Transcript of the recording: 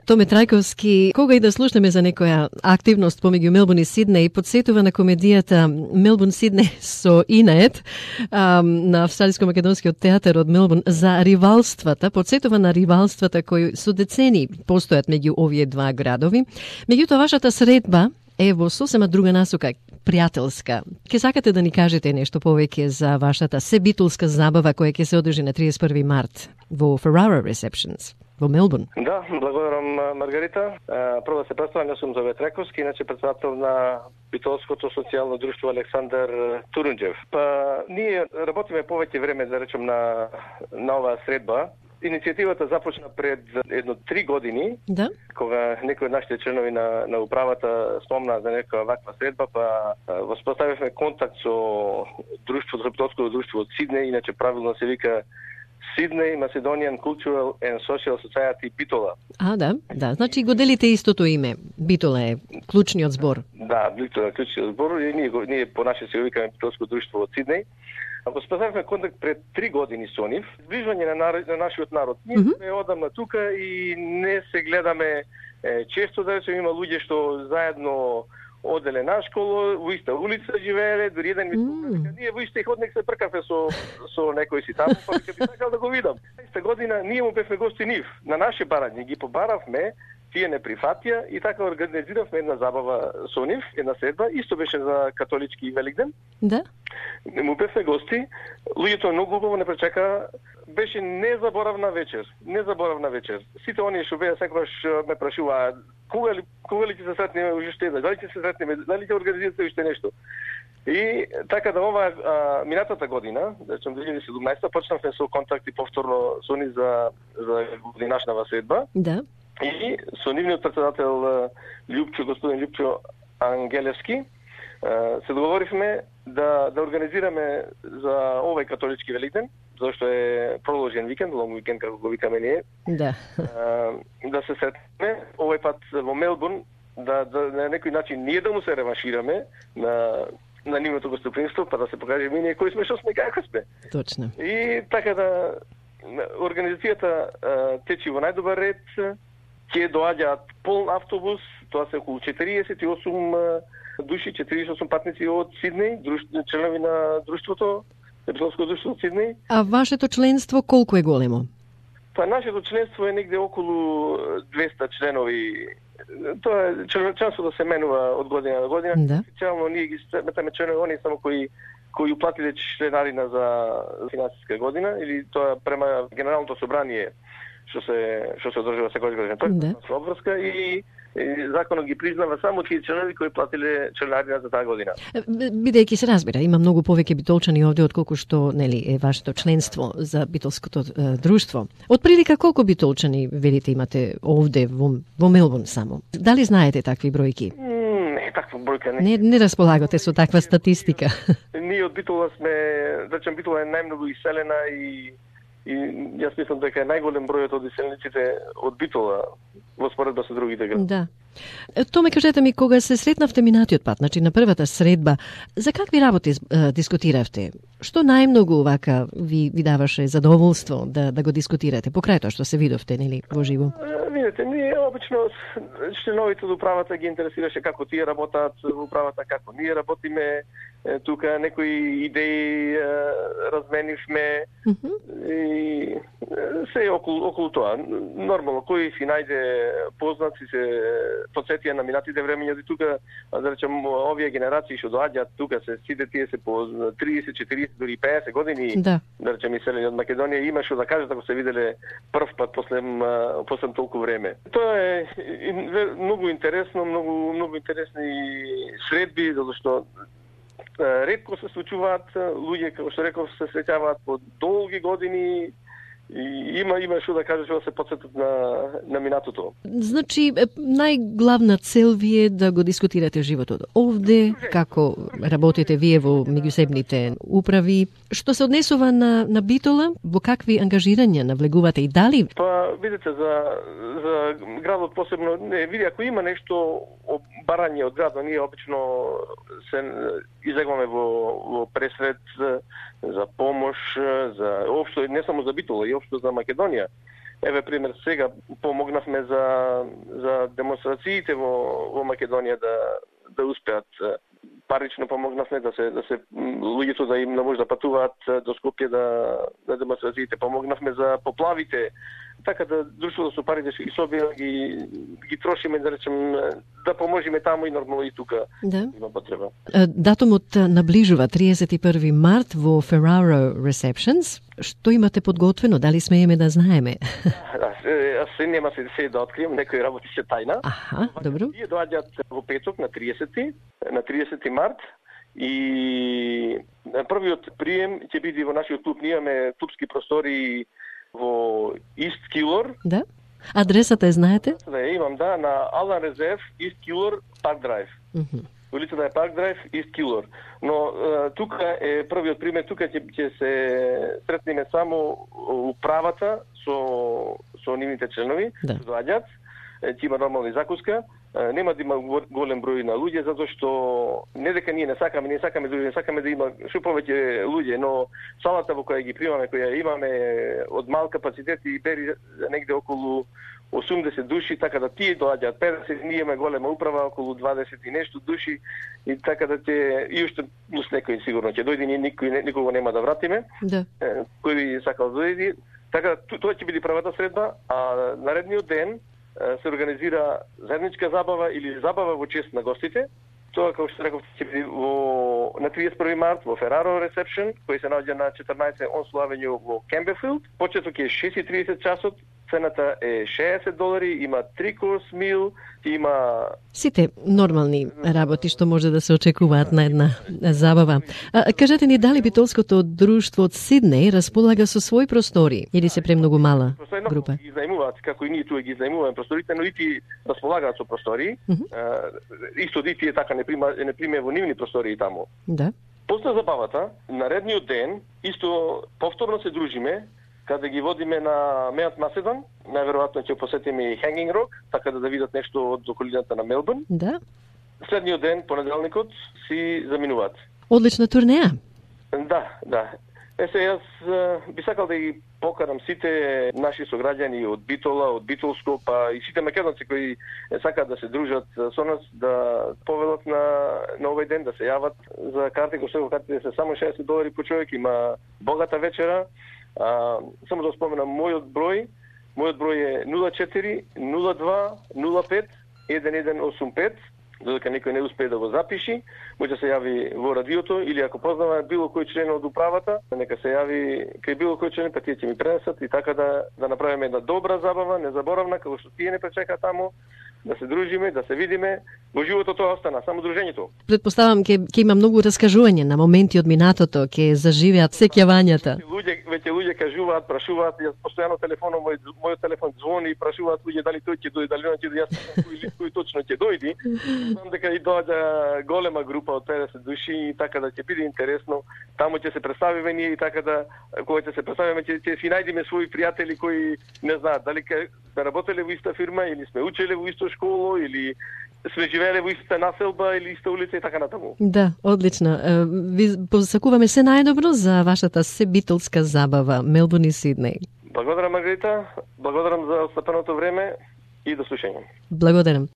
Томе Трајковски, кога и да слушнеме за некоја активност помеѓу Мелбурн и Сиднеј, подсетува на комедијата Мелбурн Сиднеј со Инет на Австралиско-македонскиот театар од Мелбурн за ривалствата, подсетува на ривалствата кои со децени постојат меѓу овие два градови. Меѓутоа, вашата средба е во сосема друга насока, пријателска. Ке сакате да ни кажете нешто повеќе за вашата себитулска забава која ќе се одржи на 31 март во Ferrara Receptions во Мелбурн? Да, благодарам, Маргарита. Прво да се представам, јас сум Томе Трајковски, иначе председател на битолското социјално друштво Александар Турунџев. Ние работиме повеќе време, да речем, на оваа средба. Иницијативата започна пред 3 години, да, кога некои од нашите членови на управата спомна за некоја ваква средба, воспоставивме контакт со друштвото, битолското друштво од Сиднеј, иначе правилно се вика Sydney Macedonian Cultural and Social Society Битола. Да, значи го делите истото име. Битола е клучниот збор. Да, Битола е клучниот збор и ние по наше се викаме Битолско друштво од Сиднеј. Воспоставивме контакт пред 3 години со нив, зближување на нашиот народ. Ние сме одамна тука и не се гледаме често, да речем, има луѓе што заедно оделе на школа, во иста улица живееле, дури еден ми покажа, ние во исти ходник се пркаве со некој си таму, па би сакал да го видам. Иста година ние му бевме гости нив, на наше барање, ги побаравме, тие не прифатија и така организиравме една забава со нив, една средба, исто беше за католички Великден. Да. Му бевме гости, луѓето многу убаво не пречака, беше незаборавна вечер. Сите оние што беа секогаш ме прашуваа кога ли ќе се сретнеме уште, дали ќе се сретнеме, дали ќе организирате уште нешто. И така да ова минатата година, да речем 2017, почнавме со контакти повторно со нив за годинашнава средба. Да. И со нивниот председател господин Љупчо Ангелевски се договоривме да организираме за овој католички Великден, зашто е продолжен викенд, лонг викенд како го викаме ние. Да. Да се сретнеме овој пат во Мелбурн, да на некој начин ние да му се реваншираме на нивното гостопримство, па да се покажеме ние кои сме, што сме, како сме. Точно. И така да организацијата течи во најдобар ред, ќе доаѓаат полн автобус, тоа се околу 48 души, 48 патници од Сиднеј, членови на друштвото, Битолско друштво од Сиднеј. А вашето членство колку е големо? Нашето членство е негде околу 200 членови. Тоа е членството се менува од година на година. Да. Официјално ние ги сметаме членови, они само кои уплатиле членарина за финансиска година, или тоа према Генералното собрание што се одржува секојаш година. Тоа е обврска и законот ги признава само тие членови кои платиле членарина за таа година. Бидејќи се разбира, има многу повеќе битолчани овде отколку што е вашето членство за битолското друштво. Од прилика колку битолчани велите имате овде во Мелбурн само? Дали знаете такви бројки? Не, таква бројка не. Не располагате со таква статистика. Ние од Битола сме, речем, Битола е најмногу иселена и јас мислам дека е најголем бројот од иселениците од Битола во споредба со другите градови. Да. Томе, кажете ми, кога се сретнавте минатиот пат, значи на првата средба, за какви работи дискутиравте? Што најмногу вака ви даваше задоволство да го дискутирате, покрај тоа што се видовте, нели, во живо? Видете, ние обично членовите од управата ги интересираше како тие работат во управата, како ние работиме, тука некои идеи разменивме и се околу тоа. Нормално, кој си најде познати се подсетија на минатите времења, тука, да речем, овие генерации што доаѓаат тука, сите тие се по 30, 40, дури 50 години, да речем, иселени од Македонија, има што да кажат ако се виделе прв пат после толку време. Тоа е многу интересно, многу интересни средби, затоа што ретко се случуваат луѓе, како што реков, се среќаваат по долги години и има што да кажеш да се потсетат на минатото. Значи, најглавна цел ви е да го дискутирате животот овде, како работите вие во меѓусебните управи. Што се однесува на Битола, во какви ангажирања навлегувате и дали? Видите, за градот посебно, ако има нешто барање од градот, ние обично се излегваме во пресред за помош, за општо, не само за Битола, и општо за Македонија. Еве пример, сега помогнавме за демонстрациите во Македонија да успеат. Парично помогнавме да се луѓето да им не може да патуваат до Скопје да демонстрациите. Помогнавме за поплавите. Така да друштвото со парите што ги собира ги трошиме, да речем, да поможиме таму и нормално и тука има потреба. Датумот наближува 31 март во Ferraro Receptions. Што имате подготвено? Дали смееме да знаеме? Се нема се да открием, некои работи се тајна. Аха, добро. Тие доаѓаат во петок на 30 март и првиот прием ќе биде во нашиот клуб. Ние имаме клубски простори во East Keilor. Да. Адресата знаете? Да, имам, на Алан Резерв, East Keilor, Park Drive. Улицата е Park Drive, East Keilor. Но тука е првиот пример, тука ќе се сретнеме само управата со нивните членови, што доаѓаат. Ќе има нормална закуска. Нема да има голем број на луѓе, затоа што не дека ние не сакаме да има што повеќе луѓе, но салата во која ги примаме, која имаме од мал капацитет и бери негде околу 80 души, така да тие доаѓаат 50, ние имаме голема управа, околу 20 и нешто души, и така да и уште плюс некој сигурно ќе дојде, никого нема да вратиме, кој би сакал да дојде. Така тоа ќе биде првата средба, а наредниот ден се организира заедничка забава или забава во чест на гостите. Тоа, како што реков, ќе биде на 31 март во Ferraro Reception, кој се наоѓа на 14 Onslow Avenue во Campbellfield. Почеток е 6:30 часот, цената е $60, има 3-course meal, има сите нормални работи што може да се очекуваат на една забава. Кажете ни, дали битолското друштво од Сиднеј располага со свои простори или се премногу мала група? Ги зајмуваат, како и ние тука ги зајмуваме просторите, но и тие располагаат со простори. Исто и тие така не приме во нивни простори таму. Да. После забавата, наредниот ден, исто повторно се дружиме, каде ги водиме на Мејат Маседон, најверојатно ќе посетиме и Hanging Rock, така да видат нешто од околината на Мелбурн. Да. Следниот ден, понеделникот, си заминуваат. Одлична турнеја. Да. Јас би сакал да ги покарам сите наши сограѓани од Битола, од Битолско, па и сите македонци кои сакаат да се дружат со нас, да повелат на овој ден, да се јават за карти, кои што картите се само $60 по човек, има богата вечера. Само да споменам мојот број е 04 02 05 1185. Додека некој не успее да го запиши, може да се јави во радиото или ако познава било кој член од управата, нека се јави кај било кој член, па тие ќе ми пренесат и така да направиме една добра забава, незаборавна, како што тие не пречека таму, да се дружиме, да се видиме. Во животот тоа остана, само дружењето. Предпоставам ќе има многу раскажување на моменти од минатото, ќе заживеат сеќавањата. Веќе луѓе кажуваат, прашуваат, јас постојано телефоном мојот телефон звони и прашуваат луѓе дали тој ќе дојде, дали не ќе дојде, јас кој точно ќе дојде. Знам дека и доаѓа голема група од 50 души и така да ќе биде интересно. Таму ќе се представиме ние и така да кога ќе се представиме ќе си најдеме своји пријатели кои не знаат дали сме работеле во иста фирма или сме учеле во исто школо или сме живееле во иста населба или иста улица и така натаму. Да, одлично. Ви посакуваме се најдобро за вашата себитолска забава Мелбурн и Сиднеј. Благодарам, Маргарита. Благодарам за остапеното време и до слушање. Благодарам.